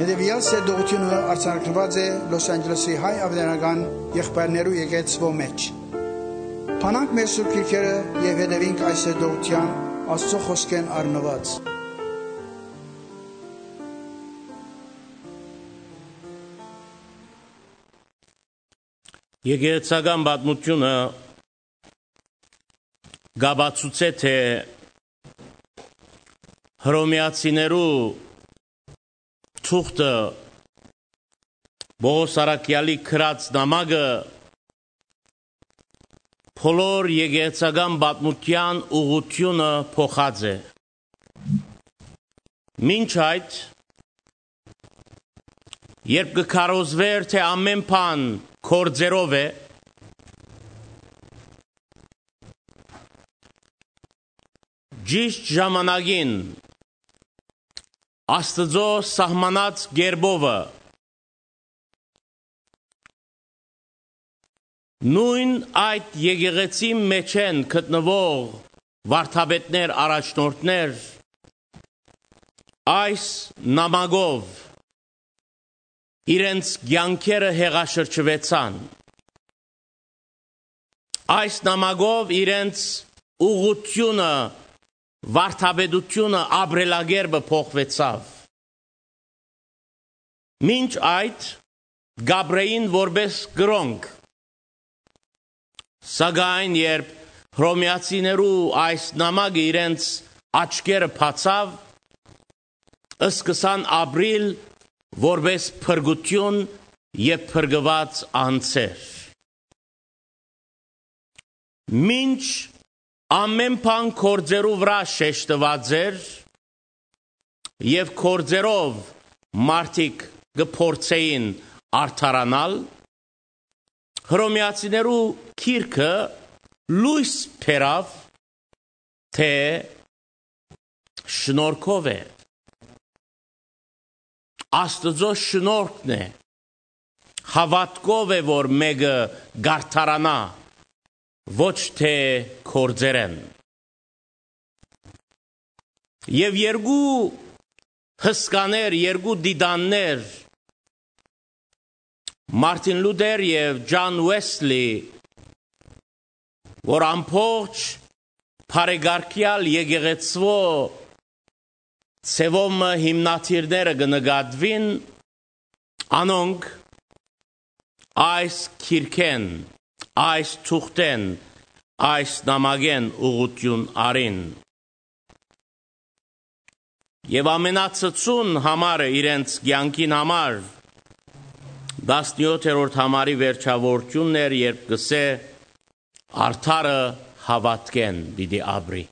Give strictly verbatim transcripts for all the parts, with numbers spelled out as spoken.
Հետեւեալ սերտողութիւնը արձանագրուած է Լոս Անջելեսի հայ աւետարանական եղբայրներու եկեղեցւոյ մէջ։ Բանանք մեր սուրբ գիրքերը եւ հետեւինք այս սերտողութեան Աստուծոյ խօսքէն առնուած։ Եկեղեցական պատմութիւնը կ'ապացուցէ, թէ Հռոմեացիներու թուղթը, Պողոս առաքեալի գրած նամակը, բոլոր եկեղեցական պատմութեան ուղղութիւնը փոխած է։ Մինչ այդ, երբ կը քարոզուէր, թէ ամէն բան գործերով է, ճիշտ ժամանակին Աստուծոյ սահմանած կերպովը, նոյն այդ եկեղեցին մէջէն գտնուող վարդապետներ, առաջնորդներ այս նամակով իրենց կեանքերը հեղաշրջուեցան։ Այս նամակով իրենց ուղղութիւնը, վարդապետութիւնը, ապրելակերպը փոխուեցաւ։ Մինչ այդ կ'ապրէին որպէս կրոնք, սակայն երբ հռոմեացիներու այս նամակը իրենց աչքերը բացաւ, սկսան ապրիլ որպէս փրկութիւն եւ փրկուած անձեր։ Մինչ ամէն բան գործերու վրայ շեշտուած էր եւ գործերով մարդիկ կը փորձէին արդարանալ, հռոմեացիներու գիրքը լոյս բերաւ, թէ շնորհքով է, Աստուծոյ շնորհքն է, հաւատքով է, որ մէկը կ'արդարանայ, ոչ թէ գործերէն։ Եւ երկու հսկաներ, երկու տիտաններ, Մարտին Լութեր եւ Ջան Ուեսլի, որ ամբողջ բարեկարգեալ եկեղեցւոյ ձեւով մը հիմնադիրները կը նկատուին, անոնք այս գիրքէն, այս թուղթէն, այս նամակէն ուղղութիւն առին։ Եւ ամենացցուն համարը, իրենց կեանքին համար, տասնեօթերորդ համարի վերջաւորութիւնն էր, երբ կ'ըսէ. «Արդարը հաւատքէն պիտի ապրի»։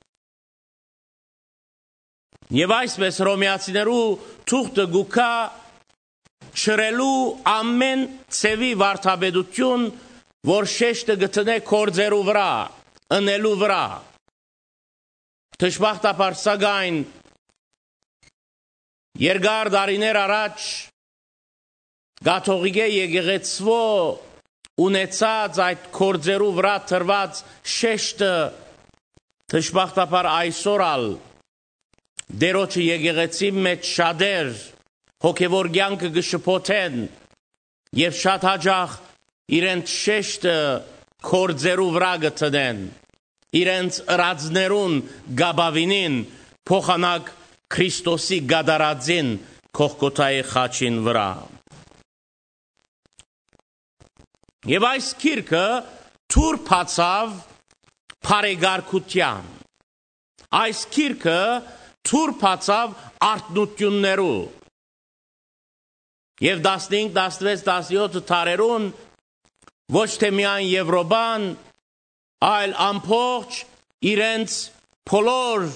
Եւ այսպէս հռոմեացիներու թուղթը կու գայ չըրելու ամէն ձեւի վարդապետութիւն, որ շեշտը կը դնէ գործերու վրայ, ընելու վրայ։ Դժբախտաբար, սակայն, երկար տարիներ առաջ կաթողիկէ եկեղեցւոյ ունեցած այդ գործերու վրայ դրուած շեշտը, դժբախտաբար, այսօր ալ Տէրոջը եկեղեցին մէջ շատեր հոգեւոր կեանքը կը շփոթեն եւ շատ յաճախ իրենց շեշտը գործերու վրայ կը դնեն, իրենց ըրածներուն կ'ապաւինին, փոխանակ Քրիստոսի կատարածին Գողգոթայի խաչին վրայ։ Եւ այս գիրքը դուռ բացաւ բարեկարգութեան։ Այս գիրքը դուռ բացաւ արթնութիւններու։ Եւ տասնհինգ, տասնվեց, տասնեօթ դարերուն ոչ թէ միայն Եւրոպան, այլ ամբողջ իրենց բոլոր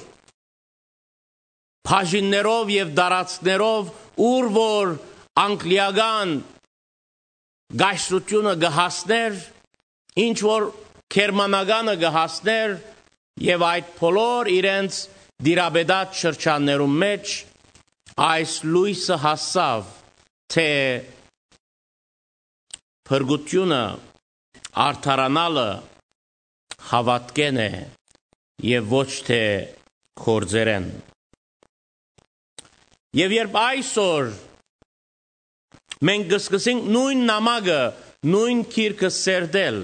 բաժիններով եւ տարածքներով, ուր որ անգլիական կայսրութիւնը կը հասներ, ինչ որ գերմանականը կը հասներ, եւ այդ բոլոր իրենց տիրապետած շրջաններուն մէջ այս լոյսը հասաւ, թէ փրկութիւնը, արդարանալը հաւատքէն է եւ ոչ թէ գործերէն։ Եւ երբ այսօր Մենք կը սկսենք նոյն նամակը, նոյն գիրքը սերտել։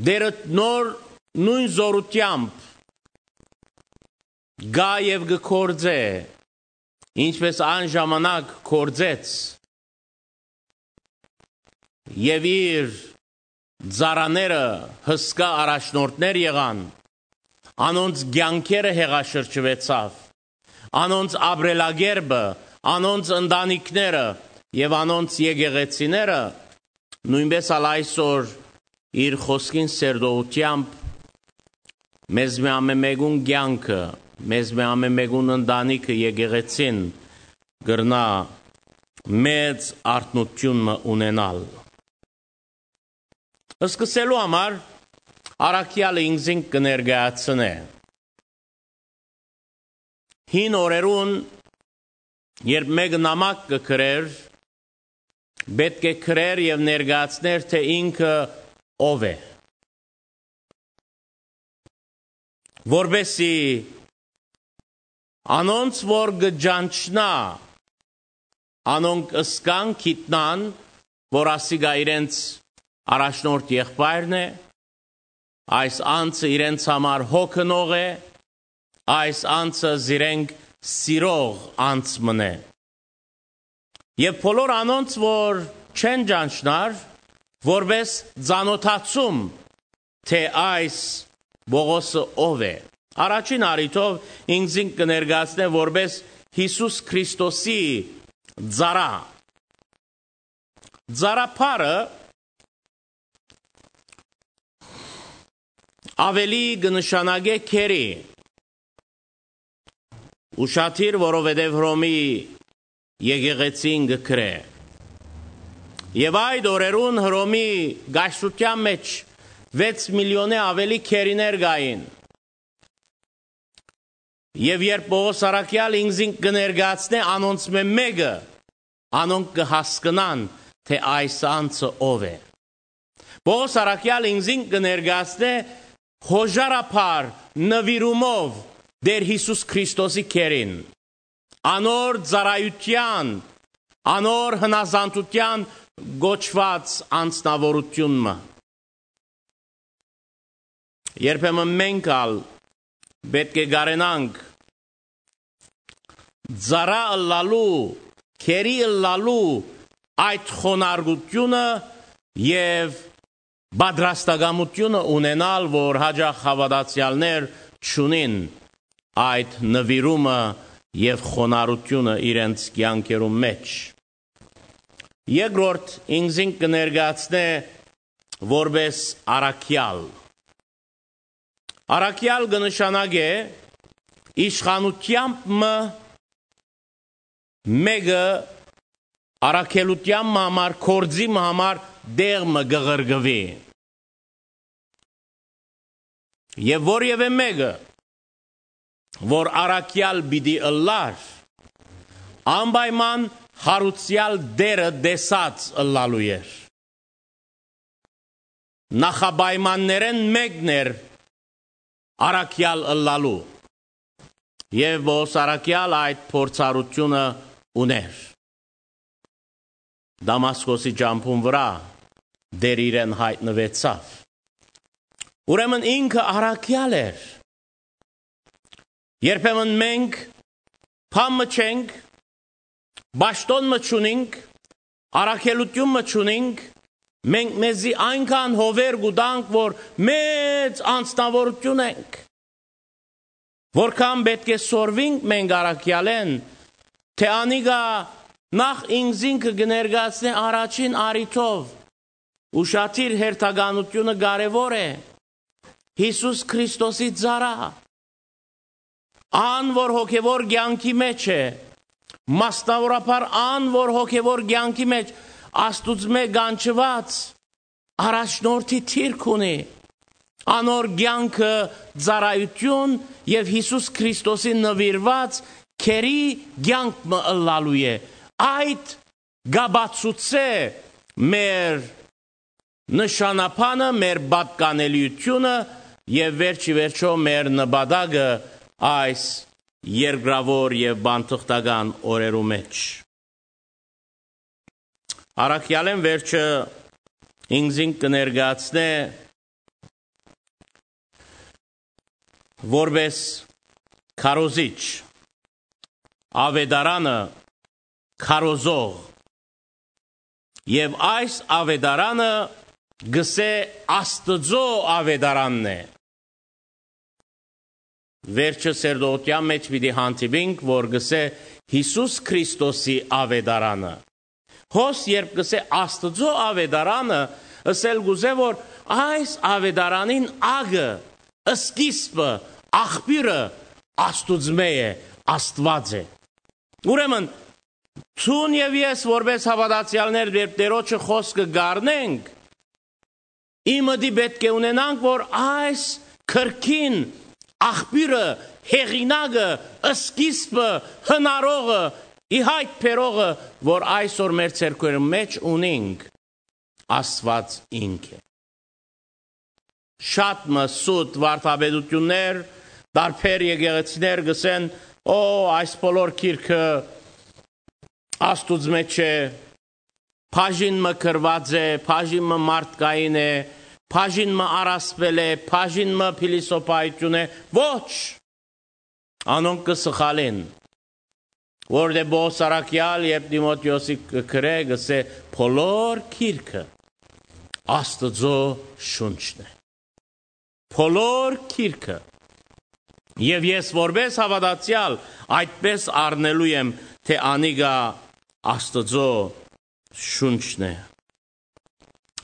Տէրը նոր նոյն զօրութեամբ կայ եւ կը գործէ, ինչպէս այն ժամանակ գործեց, եւ իր ծառաները հսկայ առաջնորդներ եղան, անոնց կեանքերը հեղաշրջուեցաւ, անոնց ապրելակերպը, անոնց ընտանիքները եւ անոնց եկեղեցիները, նոյնպէս ալ այսօր իր խօսքին սերտողութեամբ մեզմէ ամէն մէկուն կեանքը, մեզմէ ամէն մէկուն ընտանիքը, եկեղեցին կրնայ մեծ արթնութիւն մը ունենալ։ Սկսելու համար առաքեալը ինքզինք կը ներկայացնէ։ Հին օրերուն, երբ մէկը նամակ կը գրէր, պէտք է գրէր եւ ներկայացնէր, թէ ինքը ով է, որպէսզի անոնց որ կը ճանչնայ, անոնք ըսկան, գիտնան, որ ասիկա իրենց առաջնորդ եղբայրն է, այս անձը իրենց համար հոգնող է, այս անձը զիրենք սիրող անձ մըն է։ Եւ բոլոր անոնց որ չեն ճանչնար, որպէս ծանօթացում, թէ այս Պողոսը ով է։ Առաջին առիթով ինքզինք կը ներկայացնէ որպէս Յիսուս Քրիստոսի ծառայ։ Ծառայ բառը աւելի կը նշանակէ քերի, ուշադիր, որովհետեւ Հռոմի եկեղեցին կը գրէ։ Եւ այդ օրերուն Հռոմի կայսրութեան մէջ վեց միլիոնէ աւելի քերիներ կային։ Եւ երբ Պողոս առաքեալ ինքզինք կը ներկայացնէ անոնցմէ մէկը, անոնք կը հասկնան, թէ այս անձը ով է։ Պողոս առաքեալ ինքզինք կը ներկայացնէ հոժարաբար նուիրումով Տէր Յիսուս Քրիստոսի քերին, անոր ծառայութեան, անոր հնազանդութեան կոչուած անձնաւորութիւն մը։ Երբեմն մենք ալ պէտք է կարենանք ծառայ ըլլալու, քերի ըլլալու այդ խոնարկութիւնը եւ պատրաստակամութիւնը ունենալ, որ յաճախ հաւատացեալներ չունին այդ նուիրումը եւ խոնարհութիւնը իրենց կեանքերուն մէջ։ Երկրորդ, ինքզինք կը ներկայացնէ որպէս առաքեալ։ Առաքեալ կը նշանակէ իշխանութեամբ մը մէկը առաքելութեան մը համար, գործի մը համար տեղ մը կը ղրկուի։ Եւ որեւէ մէկը, որ առաքեալ պիտի ըլլար, անպայման յարուցեալ Տէրը տեսած ըլլալու էր։ Նախապայմաններէն մէկն էր առաքեալ ըլլալու։ Եւ Պողոս առաքեալ այդ փորձառութիւնը ունէր։ Դամասկոսի ճամբուն վրայ Տէր իրեն յայտնուեցաւ։ Ուրեմն ինքը առաքեալ էր։ Երբեմն մենք բան մը չենք, պաշտօն մը չունինք, առաքելութիւն մը չունինք, մենք մեզի այնքան հովեր կու տանք, որ մեծ անձնաւորութիւն ենք։ Որքան պէտք է սորվինք մենք առաքեալէն, թէ անիկա նախ ինքզինքը կը ներկայացնէ առաջին առիթով, ուշադիր, հերթականութիւնը կարեւոր է։ Յիսուս Քրիստոսի ծառայ, ան որ հոգեւոր կեանքի մէջ է, մասնաւորաբար ան որ հոգեւոր կեանքի մէջ Աստուծմէ կանչուած առաջնորդի դիրք ունի, անոր կեանքը ծառայութիւն եւ Յիսուս Քրիստոսի նուիրուած քերի կեանք մը ըլլալու է։ Այդ կ'ապացուցէ մեր նշանաբանը, մեր պատկանելիությունը եւ վերջ ի վերջոյ մեր նպատակը այս երկրաւոր եւ բանթղթական օրերու մէջ։ Առաքեալէն վերջը ինքզինք կը ներկայացնէ որպէս քարոզիչ, աւետարանը քարոզող, եւ այս աւետարանը գսէ Աստուծոյ աւետարանն է։ Վերջը սերտողութեան մէջ պիտի հանդիպինք, որ գսէ Յիսուս Քրիստոսի աւետարանը։ Հոս երբ գսէ Աստուծոյ աւետարանը, ըսել կուզէ, որ այս աւետարանին ակը, սկիզբը, աղբիւրը Աստուծմէ է, Աստուած է։ Ուրեմն, դուն եւ ես որպէս հաւատացեալներ, երբ Տէրոջը խօսքը կ'առնենք, ի մտի պէտք է ունենանք, որ այս քրքին աղբիւրը, հեղինակը, սկիզբը, հնարողը, ի յայտ բերողը, որ այսօր մեր ձեռքերուն մէջ ունինք, Աստուած ինք է։ Շատ մը սուտ վարդապետութիւններ, տարբեր եկեղեցիներ գսեն, «Օ, այս բոլոր գիրքը Աստուծմէ չէ, բաժին մը գրուած է, բաժին մը մարդկային է, բաժին մը առասպել է, բաժին մը փիլիսոփայութիւն է»։ Ոչ, անոնք կը սխալին, որտէ Պողոս առաքեալ, երբ Տիմոթէոսի կը գրէ, գսէ, «Բոլոր գիրքը Աստուծոյ շունչն է»։ Բոլոր գիրքը։ Եւ ես որպէս հաւատացեալ այդպէս առնելու եմ, թէ անիկա Աստուծոյ շունչն է։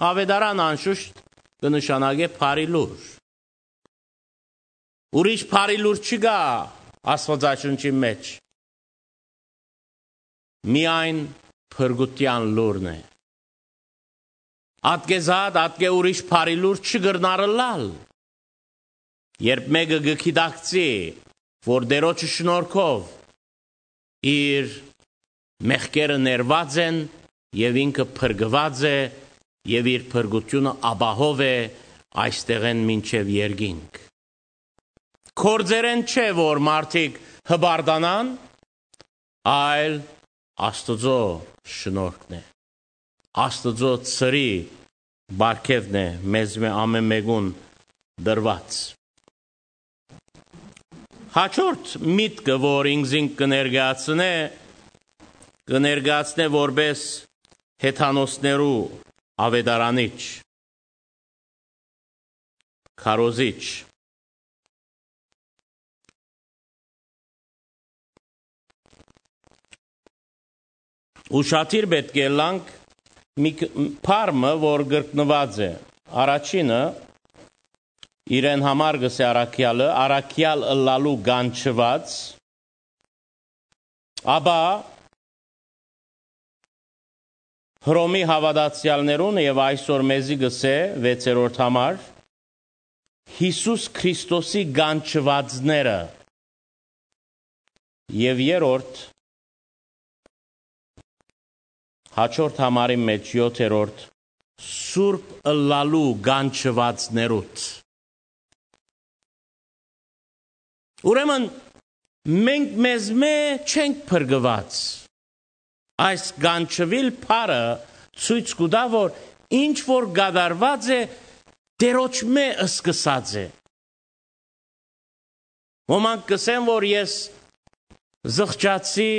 Աւետարան անշուշտ կը նշանակէ բարի լուր։ Ուրիշ բարի լուր չկայ Աստուածաշունչին մէջ։ Միայն փրկութեան լուրն է։ Ատկեզատ, ատկէ ուրիշ բարի լուր չի կրնար ըլլալ, երբ մէկը կը գիտակցի, որ Տէրոջը շնորհքով իր մեղքերը ներուած են եւ ինքը փրկուած է եւ իր փրկութիւնը ապահով է այստեղէն մինչեւ երկինք։ Գործերէն չէ, որ մարդիկ հպարտանան, այլ Աստուծոյ շնորհքն է, Աստուծոյ ծրի պարգեւն է մեզմէ ամէն մէկուն տրուած։ Հաջորդ միտքը, որ ինքզինք կը ներկայացնէ, կը ներկայացնէ որպէս հեթանոսներու աւետարանիչ, քարոզիչ։ Ուշադիր պէտք է ըլլանք մի ք-, բառ մը, որ կրկնուած է։ Առաջինը, իրեն համար կ'ըսէ առաքեալը, առաքեալ ըլլալու կանչուած, ապա Հռոմի հաւատացեալներուն եւ այսօր մեզի կ'ըսէ, վեցերորդ համար, Յիսուս Քրիստոսի կանչուածները։ Եւ երրորդ, հաջորդ համարի մէջ յոթերորդ, սուրբ ըլլալու կանչուածներուդ։ Ուրեմն, մենք մեզմէ չենք փրկուած։ Այս կանչուիլ բառը ցոյց կու տայ, որ ինչ որ կատարուած է, Տէրոջմէ սկսած է։ Ոմանք կ'ըսեն, որ ես զղջացի,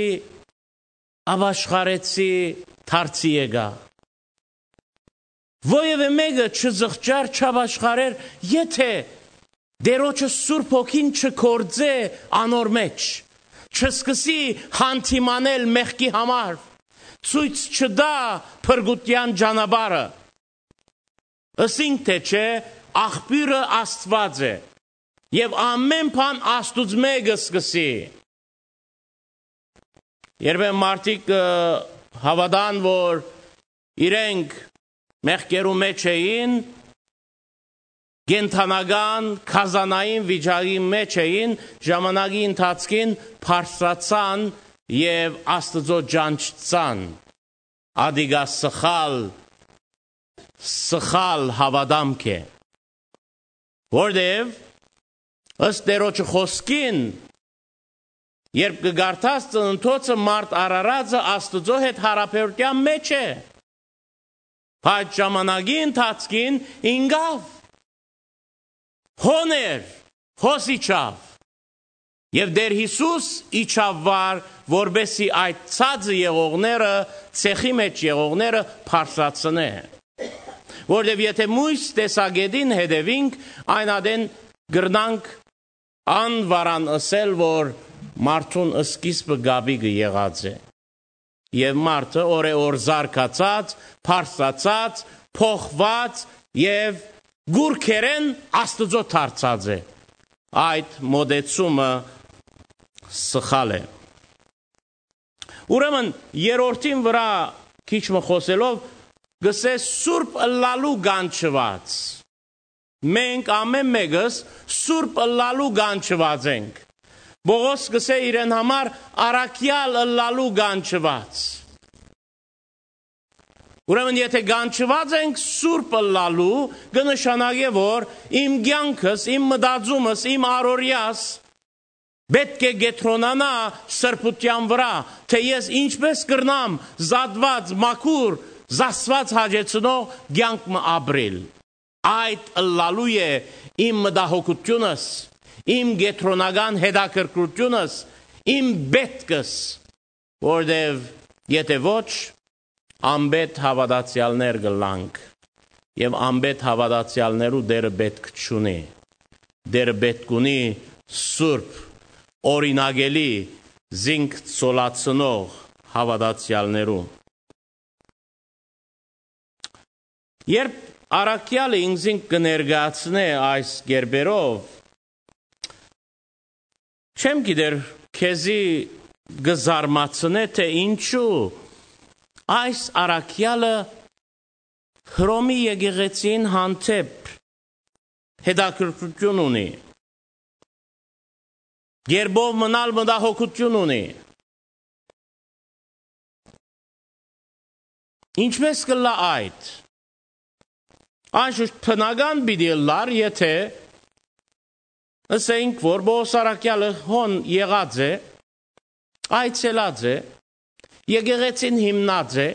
ապաշխարեցի, դարձի եկայ։ Որեւէ մէկը չզղջար, չապաշխարեր, եթէ Տէրոջը Սուրբ Հոգին չգործէ անոր մէջ, չսկսի հանդիմանել մեղքի համար, ցոյց չտայ փրկութեան ճանապարհը։ Ըսինք թէ չէ, աղբիւրը Աստուած է, եւ ամէն բան Աստուծմէ կը սկսի։ Երբեմն մարդիկ կը հաւատան, որ իրենք մեղքերու մէջ էին, կենդանական, գազանային վիճակի մէջ էին, ժամանակի ընթացքին բարձրացան եւ Աստուծոյ ճանչցան։ Ատիկա սխալ, սխալ հաւատամք է, որտեւ ըստ Տէրոջը խօսքին, Երբ կը կարդաս, ծննդոցը մարդ արարածը Աստուծոյ հետ յարաբերութեան մէջ է։ Բայց ժամանակի ընթացքին ինկաւ, հոն էր, հոս իջաւ։ Եւ Տէր Յիսուս իջաւ վար, որպէս զի այդ ցածը եղողները, ցեխի մէջ եղողները բարձրացնէ։ Որտեւ եթէ միւս տեսակէտին հետեւինք, այն ատեն կրնանք անվարան ըսել, որ մարդուն սկիզբը կապիկը եղած է։ Եւ մարդը օրէ օր զարգացած, բարձրացած, փոխված եւ գուրքերէն Աստուծոյ դարձած է։ Այդ մոտեցումը սխալ է։ Ուրեմն, երրորդին վրայ քիչ մը խօսելով, կ'ըսէ սուրբ ըլլալու կանչուած։ Մենք ամէն մէկս սուրբ ըլլալու կանչուած ենք։ Պողոս կ'ըսէ իրեն համար առաքեալ ըլլալու կանչուած։ Ուրեմն, եթէ կանչուած ենք սուրբ ըլլալու, կը նշանակէ, որ իմ կեանքս, իմ մտածումս, իմ առօրեաս պէտք է կեդրոնանայ սրբութեան վրայ, թէ ես ինչպէս կրնամ զատուած, մաքուր, զսպված, հաճեցնող կեանք մը ապրիլ։ Այդ ըլլալու է իմ մտահոգութիւնս, իմ կեդրոնական հետաքրքրութիւնս, իմ պէտքս, որտեւ եթէ ոչ, անպէտ հաւատացեալներ կ'ըլլանք եւ անպէտ հաւատացեալներու Տէրը պէտք չունի։ Տէրը պէտք ունի սուրբ, օրինակելի, զինք ցոլացնող հաւատացեալներու։ Երբ առաքեալը ինքզինք կը ներկայացնէ այս կերպերով, չեմ գիտեր, քեզի կը զարմացնէ, թէ ինչու այս առաքեալը Հռոմի եկեղեցին հանդէպ հետաքրքրութիւն ունի, կերպով մնալ մտահոգութիւն ունի։ Ինչպէս կ'ըլլայ այդ։ Անշուշտ բնական պիտի ըլլար, եթէ ըսենք, որ Պողոս առաքեալը հոն եղած է, այցելած է, եկեղեցին հիմնած է,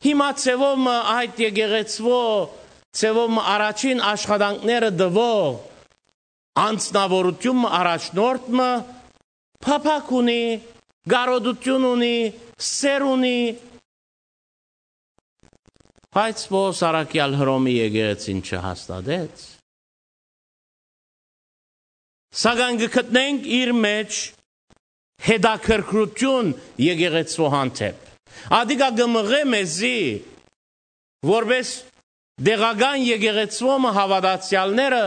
հիմա ձեւով մը այդ եկեղեցուոյ, ձեւով մը առաջին աշխատանքները տուող անձնաւորութիւն մը, առաջնորդ մը փափաք ունի, կարօտութիւն ունի, սէր ունի, բայց Պողոս առաքեալ Հռոմի եկեղեցին չհաստատեց։ Սակայն կը գտնենք իր մէջ հետաքրքրութիւն եկեղեցուոյ հանդէպ։ Ատիկա կը մղէ մեզի, որպէս տեղական եկեղեցուոյ մը հաւատացեալները,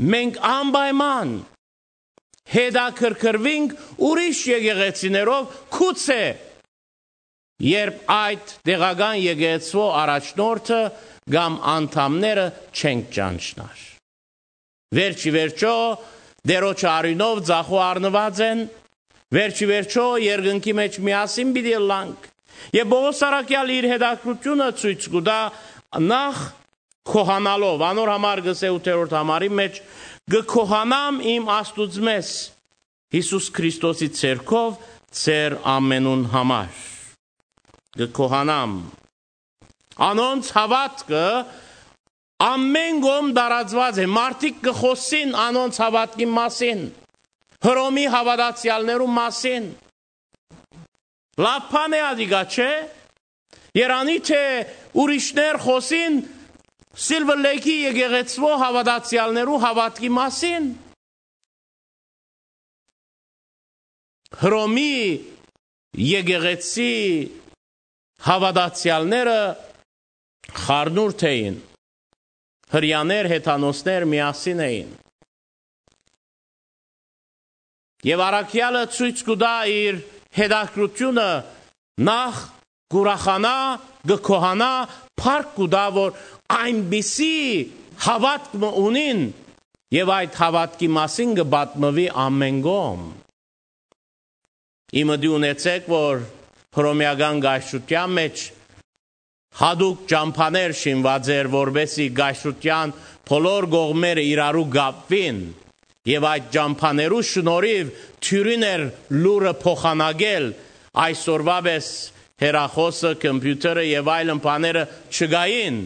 մենք անպայման հետաքրքրուինք ուրիշ եկեղեցիներով, գուցե երբ այդ տեղական եկեղեցուոյ առաջնորդը կամ անդամները չենք ճանչնար։ Վերջի վերջոյ, Տէրոջը արիւնով ձախու առնուած են, վերջի վերջոյ, երկնքի մէջ միասին պիտի ըլլանք։ Եւ Պողոս առաքեալ իր հետաքրքրութիւնը ցոյց կու տայ նախ քոհանալով, անոր համար կ'ըսէ ութերորդ համարի մէջ. «Կը քոհանամ իմ Աստուծմէս, Յիսուս Քրիստոսի ձեռքով, ձեր ամենուն համար։ Կը քոհանամ»։ Անոնց հաւատքը ամէն կողմ տարածուած է, մարդիկ կը խօսին անոնց հաւատքի մասին, Հռոմի հաւատացեալներու մասին։ Լաւ բան է ատիկա, չէ՞։ Երանի թէ ուրիշներ խօսին Սիլվըր Լէյքի եկեղեցուոյ հաւատացեալներու հաւատքի մասին։ Հռոմի եկեղեցի հաւատացեալները խառնուրդ էին, հրեաներ, հեթանոսներ միասին էին։ Եւ առաքեալը ցոյց կու տայ իր հետաքրքրութիւնը, նախ կ'ուրախանայ, կը քոհանայ, փառք կու տայ, որ այնպիսի հաւատք մը ունին, եւ այդ հաւատքի մասին կը պատմուի ամէն կողմ։ Ի մտի ունեցէք, որ հռոմեական կայսրութեան մէջ յատուկ ճամբաներ շինուած էր, որպէս զի կայսրութեան բոլոր կողմերը իրարու կապուին, Եւ այդ ճամբաներու շնորհիւ դիւրին էր լուրը փոխանակել, այսօրվա պէս հեռախօսը, կոմպիութերը եւ այլն բաները չկային։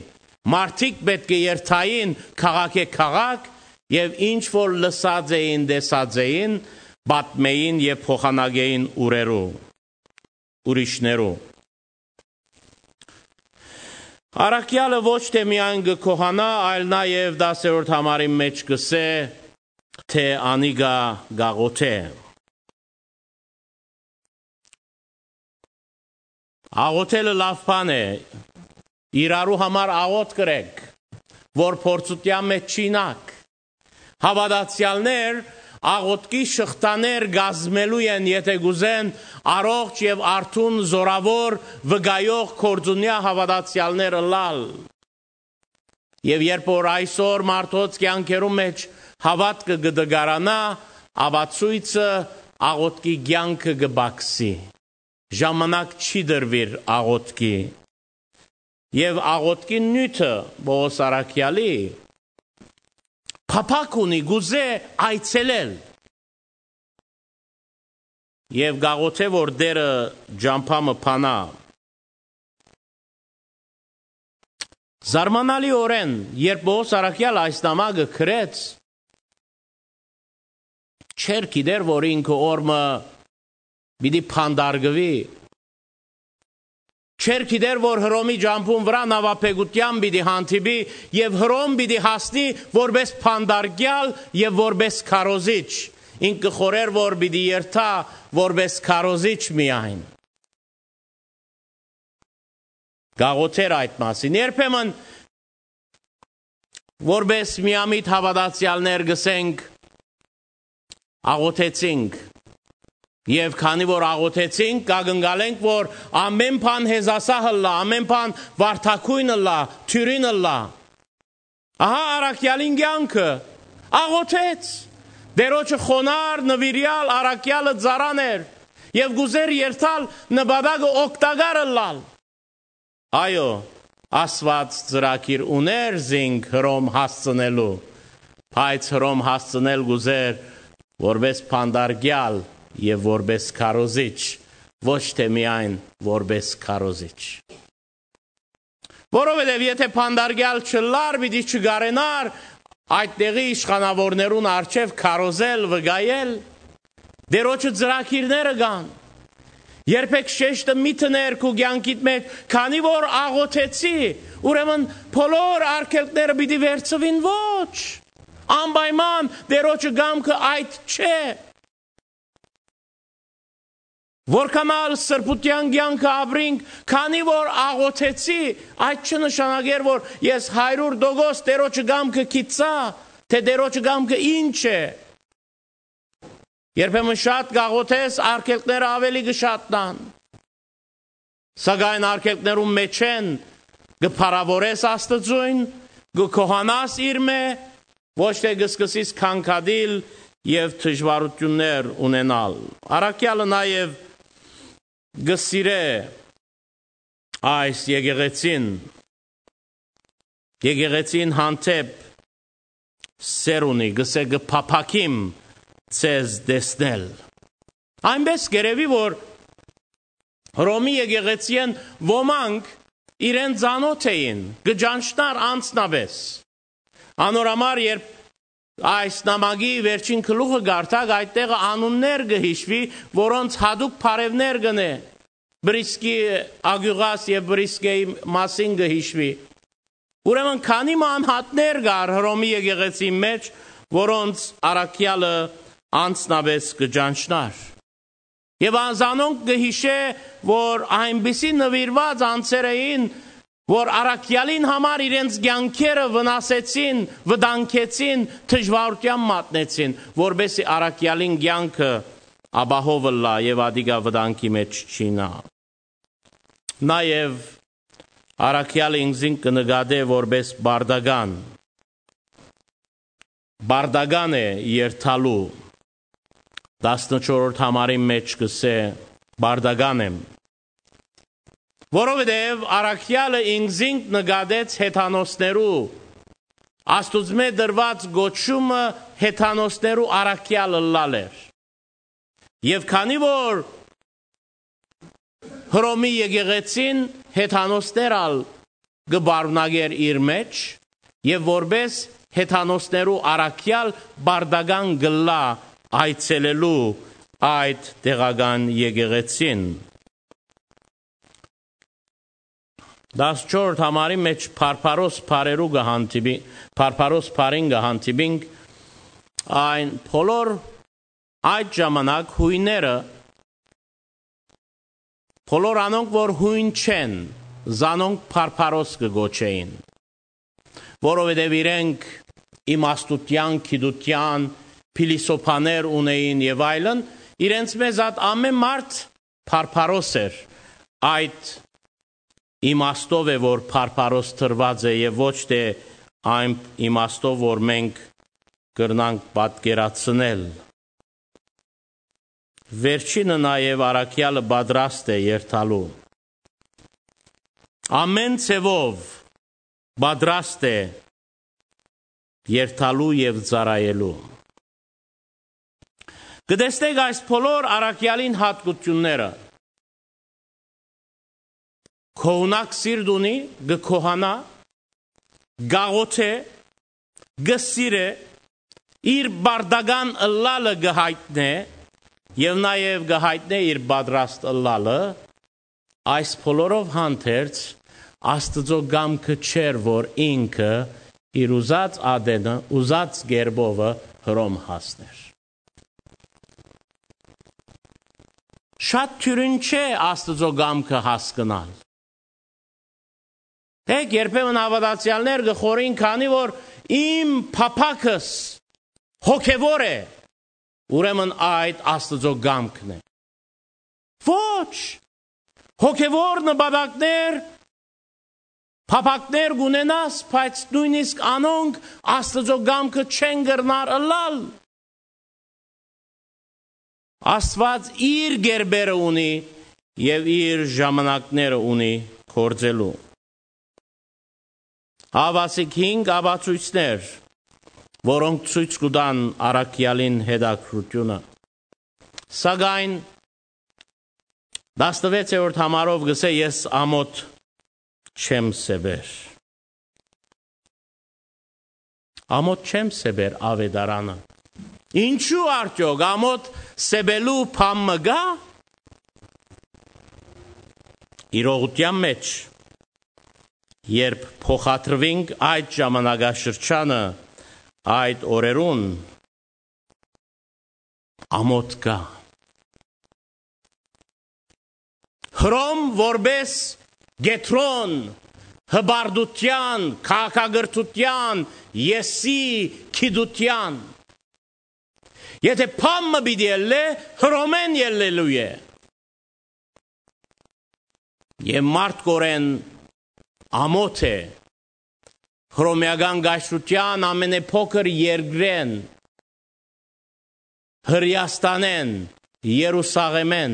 Մարդիկ պէտք է երթային քաղաքէ քաղաք եւ ինչ որ լսած էին, տեսած էին, պատմէին եւ փոխանակէին ուրերու, ուրիշներու։ Առաքեալը ոչ թէ միայն կը գոհանայ, այլ նաեւ տասերորդ համարին մէջ կ'ըսէ, թէ անիկա կ'աղօթէ։ Աղօթելը լաւ բան է, իրարու համար աղօթք ըրէք, որ փորձութեան մէջ չիյնաք։ Հաւատացեալներ աղօթքի շղթաներ կազմելու են, եթէ կ'ուզեն առողջ եւ արթուն, զօրաւոր, վկայող, գործունեայ հաւատացեալներ ըլլալ։ Եւ երբ որ այսօր մարդոց կեանքերուն մէջ հաւատքը կը տկարանայ, ապա ցոյցը աղօթքի կեանքը կը պակսի։ Ժամանակ չի տրուիր աղօթքի։ Եւ աղօթքի նիւթը Պողոս առաքեալի փափաք ունի, կ'ուզէ այցելել։ Եւ կ'աղօթէ, որ Տէրը ճամբայ մը բանայ։ Զարմանալիօրէն, երբ Պողոս առաքեալ այս նամակը գրեց, չէր գիտեր, որ ինքը օր մը պիտի փանդարգուի, չէր գիտեր, որ Հռոմի ճամբուն վրայ նաւափէգութեան պիտի հանդիպի եւ Հռոմ պիտի հասնի որպէս փանդարգեալ եւ որպէս քարոզիչ։ Ինք կը խորհէր, որ պիտի երթայ որպէս քարոզիչ միայն։ Կ'աղօթէր այդ մասին։ Երբեմն որպէս միամիտ հաւատացեալներ կ'ըսենք, աղօթեցինք։ Եւ քանի որ աղօթեցինք, կակնկալենք, որ ամէն բան հեզասահ ըլլայ, ամէն բան վարդագոյն ըլլայ, դիւրին ըլլայ։ Ահա առաքեալին կեանքը, աղօթեց։ Տէրոջը խոնարհ, նուիրեալ, առաքեալը ծառան էր եւ կ'ուզէր երթալ նպատակը օգտակար ըլլալ։ Այո, Աստուած ծրագիր ունէր զինք Հռոմ հասցնելու, բայց Հռոմ հասցնել կ'ուզէր որպէս փանդարգեալ եւ որպէս քարոզիչ, ոչ թէ միայն որպէս քարոզիչ։ Որովհետեւ եթէ փանդարգեալ չըլլար, պիտի չկարենար այդ տեղի իշխանաւորներուն առջեւ քարոզել, վկայել։ Տէրոջը ծրագիրները կան։ Երբեք շեշտը մի դներ քու կեանքիդ մէջ, քանի որ աղօթեցի, ուրեմն բոլոր արգելքները պիտի վերցուին, ոչ։ Անպայման Տէրոջը կամքը այդ չէ։ Որքան ալ սրբութեան կեանքը ապրինք, քանի որ աղօթեցի, այդ չնշանակեր, որ ես հարիւր տոկոս Տէրոջը կամքը գիտցայ, թէ Տէրոջը կամքը ինչ է։ Երբեմն շատ կաղօթես, արգելքները աւելի կը շատնան։ Սակայն արգելքներուն մէջէն կը փառաւորես Աստուծոյն, կը գոհանաս իրմէ, ոչ թէ կը սկսես քանքատիլ եւ դժուարութիւններ ունենալ։ Առաքեալը նաեւ կը սիրէ այս եկեղեցին, եկեղեցին հանդէպ սեր ունի, կ'ըսէ. «Կը փափաքիմ ձեզ տեսնել»։ Այնպէս կ'երեւի, որ Հռոմի եկեղեցիէն ոմանք իրեն ծանօթ էին, կը ճանչնար անձնապէս։ Անոր համար, երբ այս նամակի վերջին գլուխը կարդաք, այդտեղը անուններ կը յիշուի, որոնց յատուկ բարեւներ կ'ընէ, Պրիսկի, Ագիւղաս եւ Պրիսկեի մասին կը յիշուի։ Ուրեմն քանի մը անհատներ կար Հռոմի եկեղեցին մէջ, որոնց առաքեալը անձնապէս կը ճանչնար։ Եւ անզանոնք կը յիշէ, որ այնպիսի նուիրուած անձեր էին, որ առաքեալին համար իրենց կեանքերը վնասեցին, վտանգեցին, դժուարութեան մատնեցին, որպէս զի առաքեալին կեանքը ապահով ըլլայ եւ ատիկա վտանգի մէջ չիյնայ։ Նաեւ առաքեալը ինքզինք կը նկատէ որպէս պարտական։ Պարտական է երթալու։ Տասնչորրորդ համարին մէջ կ'ըսէ. «Պարտական եմ»։ Որովհետեւ առաքեալը ինքզինք նկատեց հեթանոսներու Աստուծմէ տրուած կոչումը հեթանոսներու առաքեալ ըլլալ էր։ Եւ քանի որ Հռոմի եկեղեցին հեթանոսներ ալ կը պարունակէր իր մէջ, եւ որպէս հեթանոսներու առաքեալ պարտական կ'ըլլայ այցելելու այդ տեղական եկեղեցին։ Տասնչորդ համարի մէջ Բարբարոս բարերու կը հանդիպի-, Բարբարոս բարին կը հանդիպինք, այն բոլոր այդ ժամանակ յոյները, բոլոր անոնք, որ յոյն չեն, զանոնք Բարբարոս կը կոչէին, որովհետեւ իրենք իմաստութեան, գիտութեան, փիլիսոփաներ ունէին եւ այլն, իրենց մեզ ատ ամէն մարդ Բարբարոս էր։ Այդ իմաստով է, որ Բարբարոս տրուած է, եւ ոչ թէ այն իմաստով, որ մենք կրնանք պատկերացնել։ Վերջինը նաեւ առաքեալը պատրաստ է երթալու։ Ամէն ձեւով պատրաստ է երթալու եւ ծառայելու։ Կը տեսնեք այս բոլոր առաքեալին յատկությունները։ Գոհունակ սիրտ ունի, կը գոհանայ, կ'աղօթէ, կը սիրէ, իր պարտական ըլլալը կը յայտնէ եւ նաեւ կը յայտնէ իր պատրաստ ըլլալը, այս բոլորով հանդերձ Աստուծոյ կամքը չէր, որ ինքը իր ուզած ատենը, ուզած կերպովը Հռոմ հասներ։ Շատ դիւրին չէ Աստուծոյ կամքը հասկնալ։ Դե, երբեմն հաւատացեալներ կը խորին, քանի որ իմ փափաքս հոգեւոր է, ուրեմն այդ Աստուծոյ կամքն է։ Ոչ, հոգեւոր նպատակներ, փափաքներ կ'ունենաս, բայց նոյնիսկ անոնք Աստուծոյ կամքը չեն կրնար ըլլալ։ Աստուած իր կերպերը ունի եւ իր ժամանակները ունի գործելու։ Ահա ասիկ հինգ ապացոյցներ, որոնք ցոյց կու տան առաքեալին հետաքրքրութիւնը։ Սակայն տասնվեցերորդ համարով կ'ըսէ. «Ես ամօթ չեմ սեպեր»։ Ամօթ չեմ սեպեր, աւետարանը։ Ինչո՞ւ արդեօք ամօթ սեպելու բան մը կայ։ Իրողութեան մէջ, երբ փոխադրուինք այդ ժամանակաշրջանը, այդ օրերուն, ամօթ կայ։ Հռոմ որպէս կեդրոն հպարտութեան, քաղաքակրթութեան, եսի, գիտութեան։ Եթէ բան մը պիտի ելլէ, Հռոմէն ելլելու է։ Եւ մարդկօրէն ամօթ է Հռոմեական կայսրութեան ամենեփոքր երկրէն, Հրեաստանէն, Երուսաղէմէն,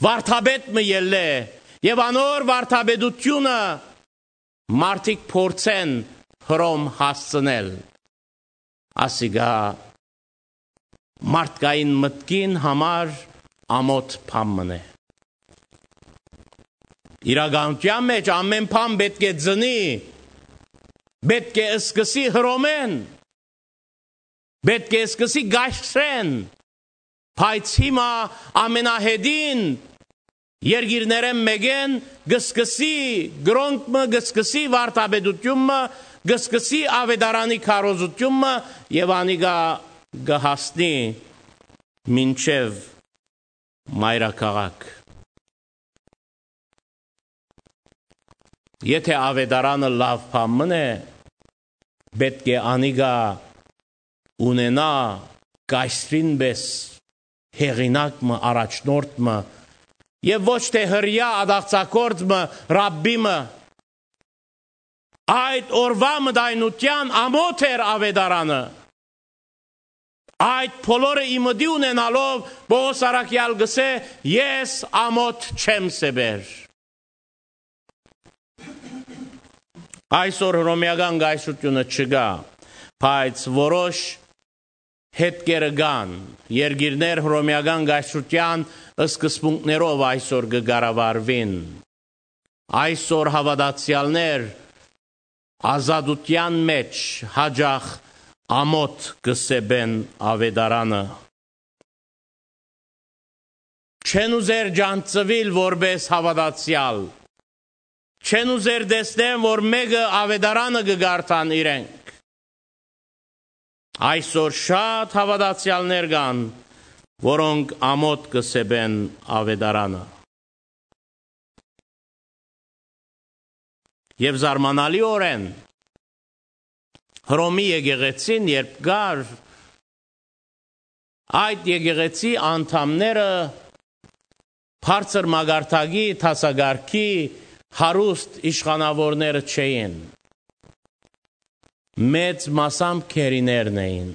վարդապետ մը ելլէ եւ անոր վարդապետութիւնը մարդիկ փորձեն Հռոմ հասցնել։ Ասիկա մարդկային մտքին համար ամօթ բան մըն է։ Իրականութեան մէջ ամէն բան պէտք է ծնի, պէտք է սկսի Հռոմէն, պէտք է սկսի կայսրէն, բայց հիմա ամենահետին երկիրներէն մէկէն կը սկսի կրոնք մը, կը սկսի վարդապետութիւն մը, կը սկսի աւետարանի քարոզութիւն մը եւ անիկա կը հասնի մինչեւ մայրաքաղաք։ Եթէ աւետարանը լաւ բան մըն է, պէտք է անիկա ունենայ կայսրին պէս հեղինակ մը, առաջնորդ մը, եւ ոչ թէ հրեայ ատաղձագործ մը, ռաբբի մը։ Այդ օրուայ մտայնութեան ամօթ էր աւետարանը։ Այդ բոլորը ի մտի ունենալով, Պողոս առաքեալ կ'ըսէ. «Ես ամօթ չեմ սեպեր»։ Այսօր Հռոմեական կայսրութիւնը չկայ, բայց որոշ յետքերը կան։ Երկիրներ Հռոմեական կայսրութեան սկզբունքներով այսօր կը կառավարուին։ Այսօր հաւատացեալներ ազատութեան մէջ յաճախ ամօթ կը սեպեն Աւետարանը։ Չեն ուզեր ճանչցուիլ որպէս հաւատացեալ։ Չեն ուզեր տեսնեն, որ մէկը Աւետարանը կը կարդան իրենք։ Այսօր շատ հաւատացեալներ կան, որոնք ամօթ կը սեպեն Աւետարանը։ Եւ զարմանալիօրէն Հռոմի եկեղեցին, երբ կար, այդ եկեղեցի անդամները բարձր մակարդակի, դասակարգի, հարուստ իշխանաւորները չէին։ Մեծ մասամբ գերիներն էին։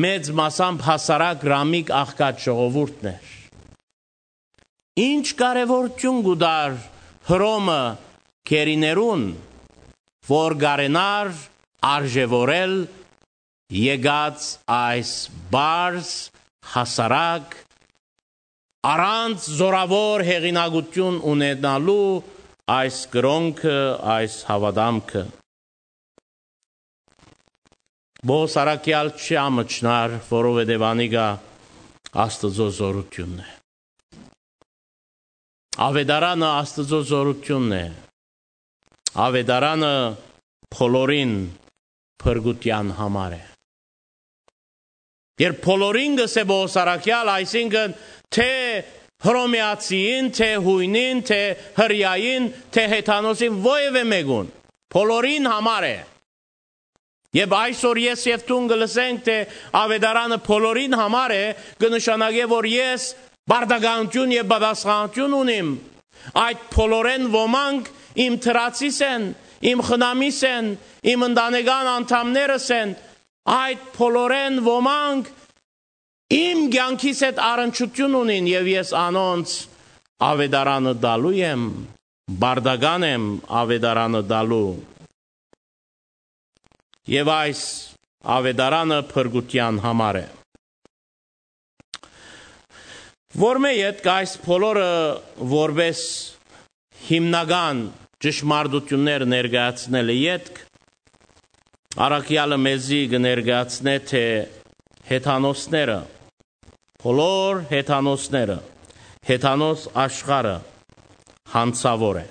Մեծ մասամբ հասարակ ռամիկ աղքատ ժողովուրդն էր։ Ինչ կարեւորութիւն կու տար Հռոմը գերիներուն, որ կարենար արժեւորել եկած այս պարզ, հասարակ, առանց զօրաւոր հեղինակութիւն ունենալու այս կրօնքը, այս հաւատամքը։ Պողոս առաքեալ չի ամչնար, որովհետեւ անիկա Աստուծոյ զօրութիւնն է։ Աւետարանը Աստուծոյ զօրութիւնն է։ Աւետարանը բոլորին փրկութեան համար է։ Երբ բոլորին կ'ըսէ Պողոս առաքեալ, այսինքն թէ Հռոմեացիին, թէ յոյնին, թէ Հրեային, թէ Հեթանոսին, որեւէ մէկուն, բոլորին համար է։ Եւ այսօր ես եւ դուն կը լսենք, թէ Աւետարանը բոլորին համար է, կը նշանակէ, որ ես պարտականութիւն եւ պատասխանատուն ունիմ։ Այդ բոլորէն ոմանք իմ դրացիս են, իմ խնամիս են, իմ ընտանեկան անդամներս են, այդ բոլորէն ոմանք իմ կեանքիս հետ առնչութիւն ունին եւ ես անոնց Աւետարանը տալու եմ, պարտական եմ Աւետարանը տալու։ Եւ այս Աւետարանը փրկութեան համար է։ Որմէ ետք այս բոլորը որպէս հիմնական ճշմարտութիւններ ներկայացնելը ետք, առաքեալը մեզի կը ներկայացնէ, թէ հեթանոսները, բոլոր հեթանոսները, հեթանոս աշխարհը յանցաւոր է։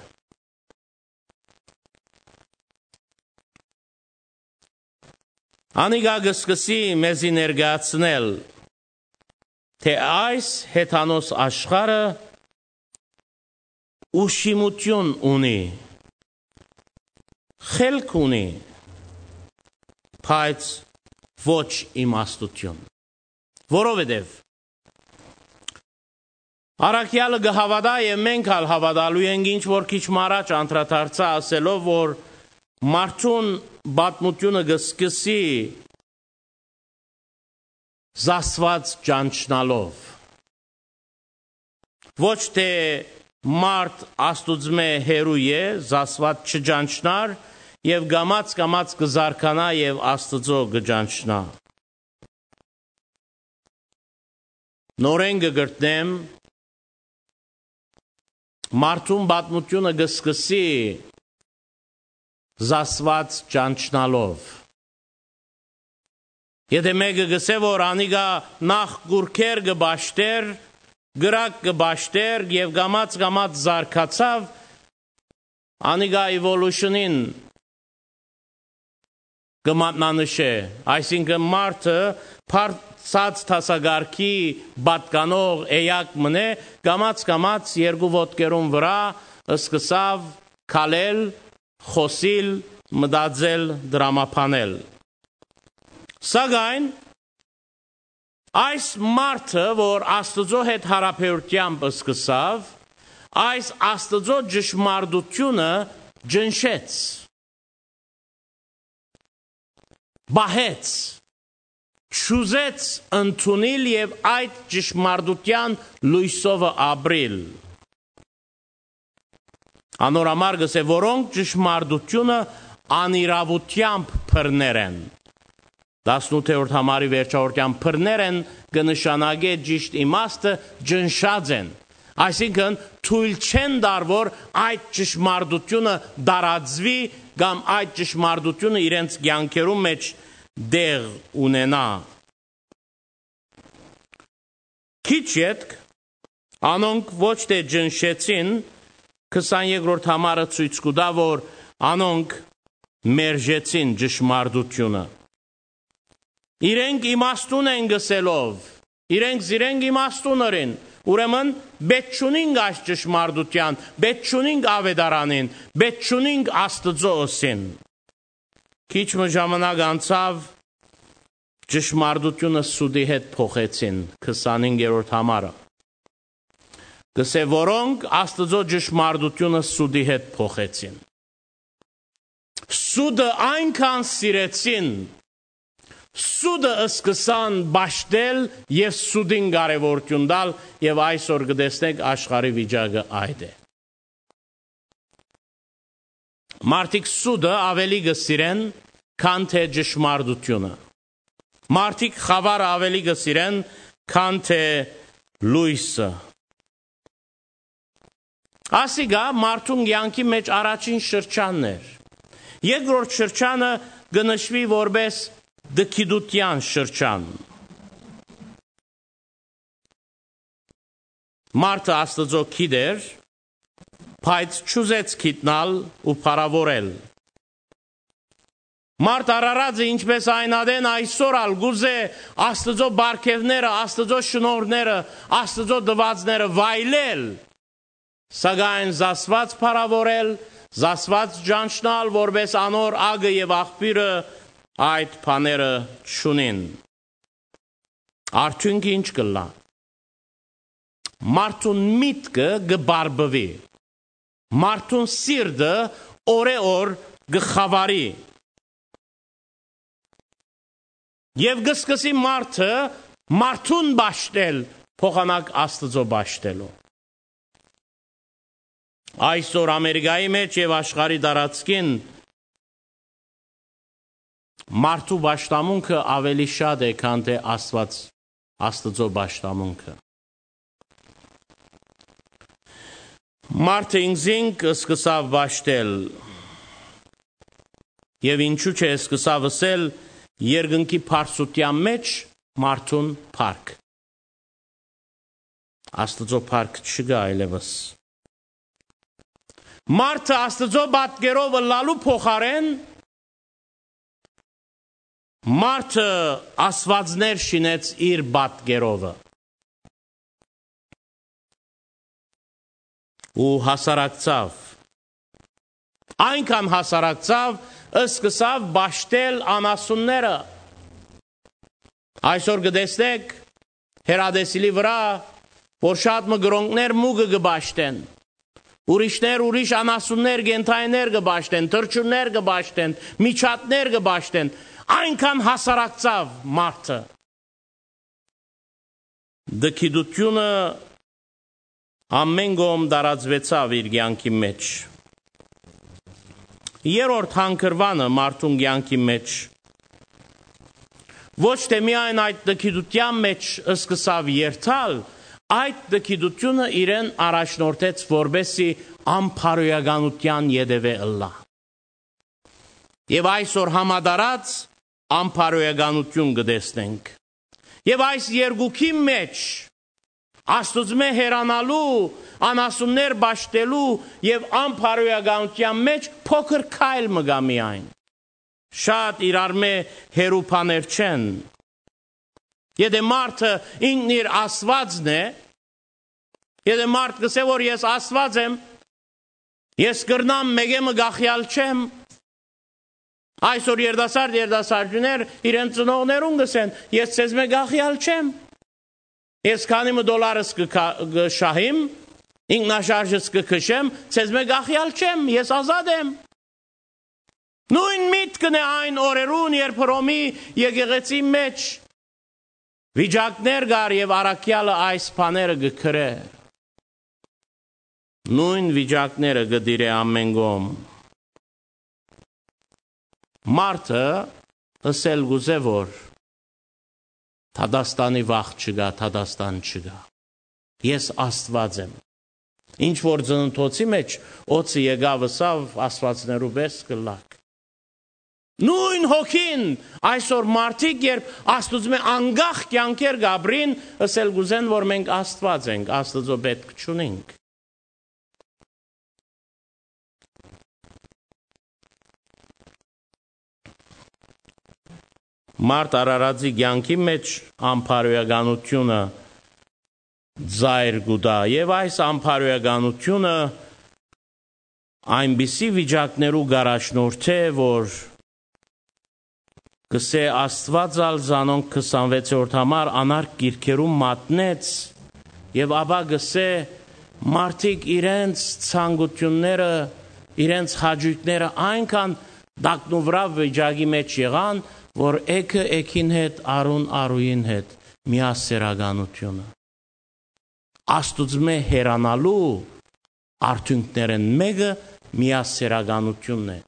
Անիկա կը սկսի մեզի ներկայացնել, թէ այս հեթանոս աշխարհը ուշիմութիւն ունի, խելք ունի, բայց ոչ իմաստութիւն։ Որովհետեւ առաքեալը կը հաւատայ եւ մենք ալ հաւատալու ենք, ինչ որ քիչ մը առաջ անդրադարձայ ասելով, որ մարդուն պատմութիւնը կը սկսի զասված ճանչնալով։ Ոչ թէ մարդ Աստուծմէ հեռու է, զասված չճանչնար եւ կամաց-կամաց կը զարգանայ եւ Աստուծոյ կը ճանչնայ։ Նորէն կը կրկնեմ, մարդուն պատմութիւնը կը սկսի զասված ճանչնալով։ Եթէ մէկը կ'ըսէ, որ անիկա նախ կուռքեր կը պաշտէր, կրակ կը պաշտէր եւ կամաց-կամաց զարգացաւ, անիկա evolution-ին կը մատնանշէ, այսինքն մարդը բարձրաց դասակարգի պատկանող էակ մըն է, կամաց-կամաց երկու ոտքերուն վրայ սկսաւ քալել, խօսիլ, մտածել, տրամաբանել։ Սակայն այս մարդը, որ Աստուծոյ հետ յարաբերութեամբ սկսաւ, այս Աստուծոյ ճշմարտութիւնը ճնշեց, պահեց, չուզեց ընդունիլ եւ այդ ճշմարտութեան լոյսովը ապրիլ։ Անոր համար կ'ըսէ, որոնք ճշմարտութիւնը անիրաւութեամբ բռներ են։ Տասնութերորդ համարի վերջնական բռներ են կը նշանակէ ճիշդ իմաստը, ճնշած են։ Այսինքն, թոյլ չեն տար, որ այդ ճշմարտութիւնը տարածուի կամ այդ ճշմարտութիւնը իրենց կեանքերուն մէջ տեղ ունենայ։ Քիչ ետք անոնք ոչ թէ ճնշեցին, քսաներկրորդ համարը ցոյց կու տայ, որ անոնք մերժեցին ճշմարտութիւնը։ Իրենք իմաստուն են գսելով, իրենք զիրենք իմաստուն ըրին, ուրեմն պէտք չունինք այս ճշմարտութեան, պէտք չունինք աւետարանին, պէտք չունինք Աստուծոյ ըսին։ Քիչ մը ժամանակ անցաւ, ճշմարտութիւնը սուտի հետ փոխեցին, քսանհինգերորդ համարը։ Կ'ըսէ, որոնք Աստուծոյ ճշմարտութիւնը սուտի հետ փոխեցին։ Սուտը այնքան սիրեցին, սուտը սկսան պաշտել եւ սուտին կարեւորութիւն տալ, եւ այսօր կը տեսնենք աշխարհի վիճակը այդ է։ Մարդիկ սուտը աւելի կը սիրեն, քան թէ ճշմարտութիւնը։ Մարդիկ խաւարը աւելի կը սիրեն, քան թէ լոյսը։ Ասիկա մարդուն կեանքի մէջ առաջին շրջանն էր։ Երկրորդ շրջանը կը նշուի որպէս դքիդութեան շրջան։ Մարդը Աստուծոյ գիտեր, բայց չուզեց գիտնալ ու փառաւորել։ Մարդ Արարածը, ինչպէս այն ատեն այսօր ալ կ'ուզէ Աստուծոյ պարգեւները, Աստուծոյ շնորհները, Աստուծոյ տուածները վայելել, սակայն զասված փառաւորել, զասված ճանչնալ որպէս անոր ակը եւ աղբիւրը այդ բաները չունին։ Արդիւնքը ի՞նչ կ'ըլլայ։ Մարդուն միտքը կը բարբուի, մարդուն սիրտը օրէ օր կը խաւարի։ Եւ կը սկսի մարդը մարդուն պաշտել փոխանակ Աստուծոյ պաշտելու։ Այսօր Ամերիկայի մէջ եւ աշխարհի տարածքին մարդու պաշտամունքը աւելի շատ է, քան թէ Աստուած, Աստուծոյ պաշտամունքը։ Մարդը ինքզինք սկսաւ պաշտել, եւ ինչու՞ չէ, սկսաւ ըսել. «Երկնքի բարձրութեան մէջ մարդուն փառք»։ Աստուծոյ փառք չկայ այլեւս։ Մարդը Աստուծոյ պատկերով ըլլալու փոխարէն մարդը աստուածներ շինեց իր պատկերովը։ Ու հասարակցաւ, այնքան հասարակցաւ, սկսաւ պաշտել անասունները։ Այսօր կը տեսնէք հեռատեսիլի վրայ, որ շատ մը կրօնքներ մուկը կը պաշտեն, ուրիշներ ուրիշ անասուններ, կենդանիներ կը պաշտեն, թռչուններ կը պաշտեն, միջատներ կը պաշտեն, այնքան հասարակցաւ մարդը։ Դքիդութիւնը ամէն կողմ տարածուեցաւ իր կեանքի մէջ։ Երրորդ հանգրուանը մարդուն կեանքի մէջ ոչ թէ միայն այդ դքիդութեան մէջ սկսաւ երթալ, այդ դքիդութիւնը իրեն առաջնորդեց, որպէսզի անբարոյականութեան ետեւէ ըլլայ։ Եւ այսօր համատարած անբարոյականութիւն կը տեսնենք։ Եւ այս երկուքի մէջ Աստուծմէ հեռանալու, անասուններ պաշտելու եւ անբարոյականութեան մէջ փոքր քայլ մը կայ միայն։ Շատ իրարմէ հեռու բաներ չեն։ Եթէ մարդը ինքն իր Աստուածն է, եթէ մարդ կ'ըսէ, որ ես Աստուած եմ, ես կրնամ, մէկէ մը կախեալ չեմ։ Այսօր երիտասարդ, երիտասարդուհիներ իրենց ծնողներուն կ'ըսեն. «Ես ձեզմէ կախեալ չեմ։ Ես քանի մը դոլարս կը քա-, կը շահիմ, ինքնաշարժս կը քշեմ, ձեզմէ կախեալ չեմ, ես ազատ եմ»։ Նոյն միտքն է այն օրերուն, երբ Հռոմի եկեղեցի մէջ վիճակներ կար եւ առաքեալը այս բաները կը գրէ։ Նոյն վիճակները կը տիրէ ամէն կողմ։ Մարդը ըսել կ'ուզէ, որ դատաստանի վախ չկայ, դատաստան չկայ։ Ես Աստուած եմ։ Ինչ որ ծննդոցի մէջ օձը եկաւ, ըսաւ, աստուածներու պէս կ'ըլլաք։ Նոյն հոգին այսօր մարդիկ, երբ Աստուծմէ անկախ կեանքեր կ'ապրին, ըսել կ'ուզեն, որ մենք Աստուած ենք, Աստուծոյ պէտք չունինք։ Մարդ Արարածի կեանքի մէջ ամբարոյականութիւնը ծայր կու տայ, եւ այս ամբարոյականութիւնը այնպիսի վիճակներու կ'առաջնորդէ, որ կ'ըսէ, Աստուած ալ զանոնք քսանվեցերորդ համար անարգ կիրքերուն մատնեց, եւ ապա կ'ըսէ, մարդիկ իրենց ցանկութիւնները, իրենց հաճոյքները այնքան տակնուվրայ վիճակի մէջ եղան, որ էգը էգին հետ, արուն արուին հետ, միասեռականութիւնը։ Աստուծմէ հեռանալու արդիւնքներէն մէկը միասեռականութիւնն է։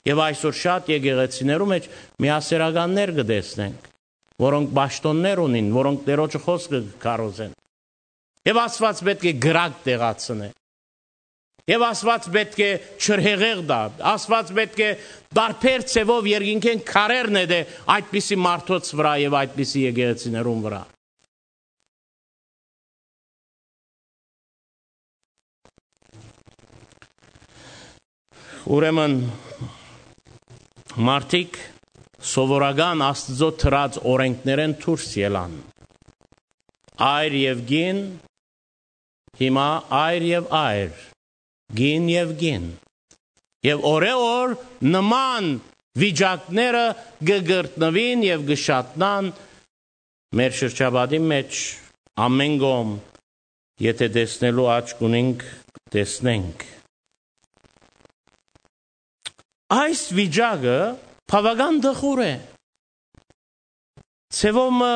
Եւ այսօր շատ եկեղեցիներու մէջ միասեռականներ կը տեսնենք, որոնք պաշտօններ ունին, որոնք Տէրոջը խօսքը կը քարոզեն։ Եւ Աստուած պէտք է կրակ տեղացնէ։ Եւ Աստուած պէտք է չրհեղեղ տայ։ Աստուած պէտք է տարբեր ձեւով երկինքէն քարեր նետէ այդպիսի մարդոց վրայ եւ այդպիսի եկեղեցիներուն վրայ։ Ուրեմն, մարդիկ սովորական Աստուծոյ դրած օրէնքներէն դուրս ելան։ Այր եւ կին, հիմա այր եւ այր, կին եւ կին։ Եւ օրէ օր նման վիճակները կը կրկնուին եւ կը շատնան մեր շրջապատին մէջ, ամէն կողմ, եթէ տեսնելու աչք ունինք, տեսնենք։ Այս վիճակը բաւական տխուր է։ Ձեւով մը,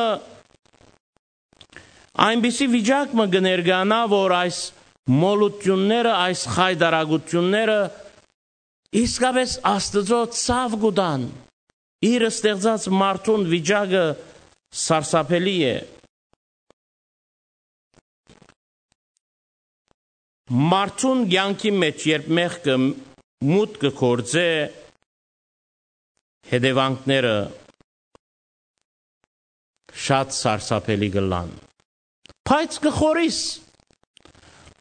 այնպիսի վիճակ մը կը ներկայանայ, որ այս մոլութիւնները, այս խայտարակութիւնները իսկապէս Աստուծոյ ցաւ կու տան։ Իր ստեղծած մարդուն վիճակը սարսափելի է։ Մարդուն կեանքի մէջ, երբ մեղքը մուտք կը գործէ, հետեւանքները շատ սարսափելի կ'ըլլան։ Բայց կը խորհիս,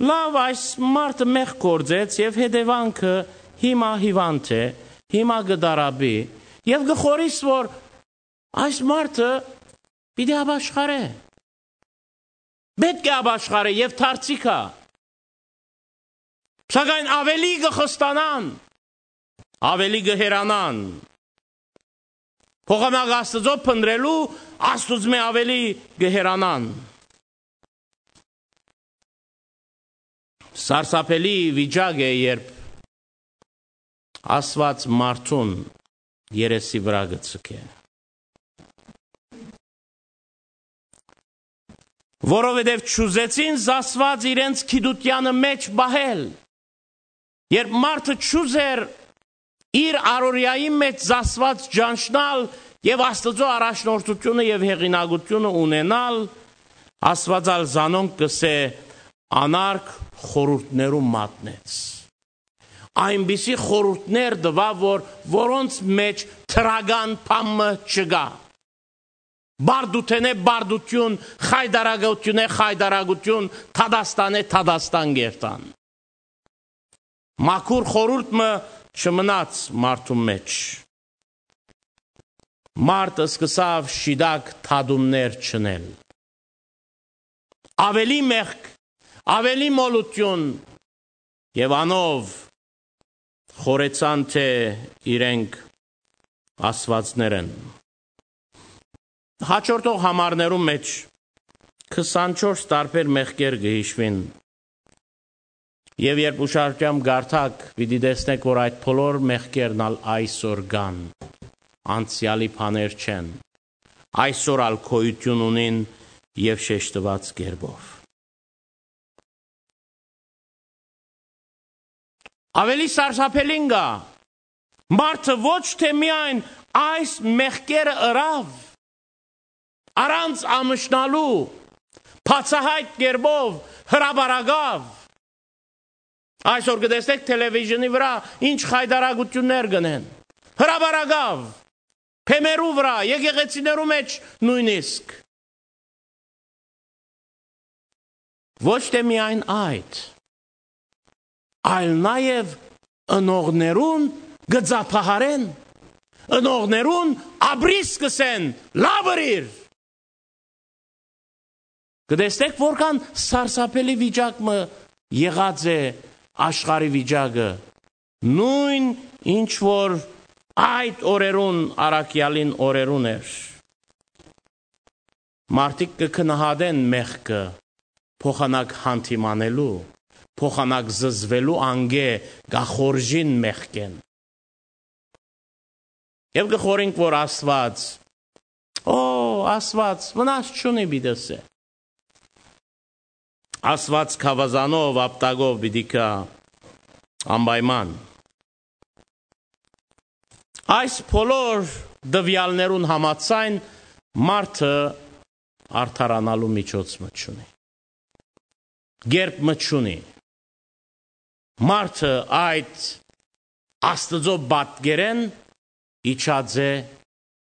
լաւ, այս մարդը մեղք գործեց եւ հետեւանքը հիմա հիվանդ է, հիմա կը տառապի, եւ կը խորհիս, որ այս մարդը պիտի ապաշխարէ։ Պէտք է ապաշխարէ եւ դարձի գայ։ Սակայն աւելի կը խստանան, աւելի կը հեռանան։ Փոխանակ Աստուծոյ փնտռելու, Աստուծմէ աւելի կը հեռանան։ Սարսափելի վիճակ է, երբ Աստուած մարդուն երեսի վրայ կը ձգէ։ Որովհետեւ չուզեցին զասուած իրենց գիտութեանը մէջ պահել։ Երբ մարդը չուզեր իր առօրեայի մէջ զասուած ճանչնալ եւ Աստուծոյ առաջնորդութիւնը եւ հեղինակութիւնը ունենալ, Աստուած ալ զանոնք կ'ըսէ, անարգ խորհուրդներու մատնեց։ Այնպիսի խորհուրդներ տուաւ, որ, որոնց մէջ դրական բան մը չկայ։ Բարդութենէ բարդութիւն, խայտարակութիւնէ խայտարակութիւն, դատաստանէ դատաստան կ'երթան։ Մաքուր խորհուրդ մը չմնաց մարդուն մէջ։ Մարդ սկսաւ շիտակ դատումներ չնել։ Աւելի մեղք, աւելի մոլութիւն եւ անով խորեցան, թէ իրենք աստուածներ են։ Հաջորդող համարներու մէջ քսանչորս տարբեր մեղքեր կը յիշուին։ Եւ երբ ուշադրութեամբ կարդաք, պիտի տեսնեք, որ այդ բոլոր մեղքերն ալ այսօր կան, անցեալի բաներ չեն, այսօր ալ գոյութիւն ունին եւ շեշտուած կերպով։ Աւելի սարսափելին կայ, մարդը ոչ թէ միայն այս մեղքերը ըրաւ, առանց ամշնալու, բացահայտ կերպով հրապարակաւ։ Այսօր կը տեսնէք թելեվիզիոնի վրայ ինչ խայտարակութիւններ կ'ընեն։ Հրապարակաւ, բեմերու վրայ, եկեղեցիներու մէջ նոյնիսկ։ Ոչ թէ միայն այդ, այլ նաեւ ընողներուն կը ծափահարեն, ընողներուն ապրիս կ'ըսեն. «Լաւ ըրիր»։ Կը տեսնէք, որքան սարսափելի վիճակ մը եղած է աշխարհի վիճակը, նոյն ինչ որ այդ օրերուն առաքեալին օրերուն էր։ Մարդիկ կը գնահատեն մեղքը, փոխանակ հանդիմանելու, փոխանակ զզվելու անկէ կը խորժին մեղքէն։ Եւ կը խորհենք, որ Աստուած, օ, Աստուած վնաս չունի, պիտի ըսէ։ Աստուած գաւազանով, ապտակով պիտի գայ անպայման։ Այս բոլոր տուեալներուն համաձայն մարդը արդարանալու միջոց մը չունի, կերպ մը չունի։ Մարդը այդ Աստուծոյ պատկերէն իջած է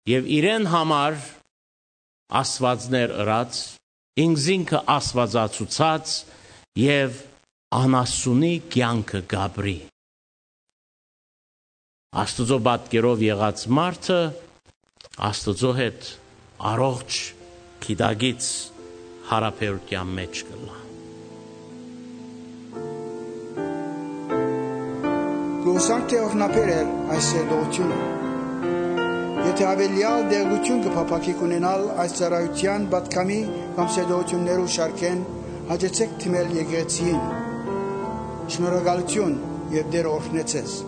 եւ իրեն համար աստուածներ ըրած, ինքզինքը աստուածացուցած եւ անասունի կեանքը կ'ապրի։ Աստուծոյ պատկերով եղած մարդը Աստուծոյ հետ առողջ գիտակից յարաբերութեան մէջ կ'ըլլայ։ Կ'ուսանք թէ օրհնաբեր էր այս սերտողութիւնը։ Եթէ աւելեալ տեղեկութիւն կը փափաքի ունենալ այս ծառայութեան պատգամի կամ սերտողութիւններու շարքէն, հաճեցէք դիմել եկեղեցիին։ Շնորհակալութիւն եւ Տէրը օրհնէ ձեզ։